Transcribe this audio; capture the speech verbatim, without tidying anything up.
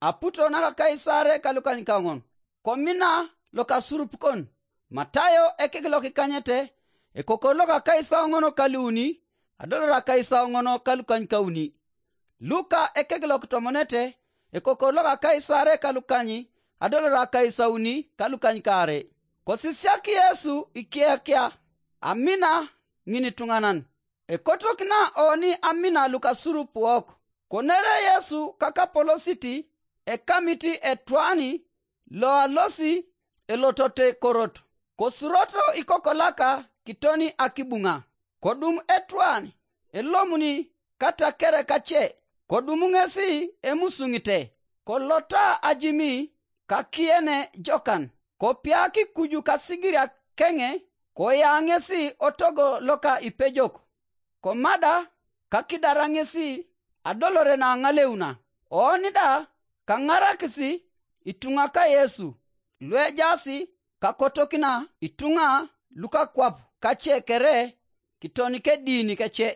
aputo naka Kaisare ka lukanykaoŋon, komina lokasurup kon. Matayo ekek lokikanyete, ekokor loka Kaisauŋon kaluuni, adolor Kaisauŋon kalukanykauni. Luka ekek lokitomonete, ekokor loka Kaisare kalukany, adolor Kaisauni kalukanykaare. Kosisiak Yesu ikiakia, amina ŋinituŋanan. Ekotokina oni amina lukasurup wok? Konere Yesu kakapolositi ekamiti etwani loalosi elotote korot, kosuroto ikokolaka kitoni akibuŋa. Kodum etwan elomuni katakere kace, kodum ŋesi emusuŋite, kolota ajimi kakiene jokan, kopiak kuju kasigiriak keŋe, koya ŋesi otogo loka ipejok, komada kakidara ŋesi adolore naŋaleuna. Oni da kaŋarakisi ituŋa ka Yesu, luejaasi kakotokina ituŋa lukakwap kace kere kiton kedini kece.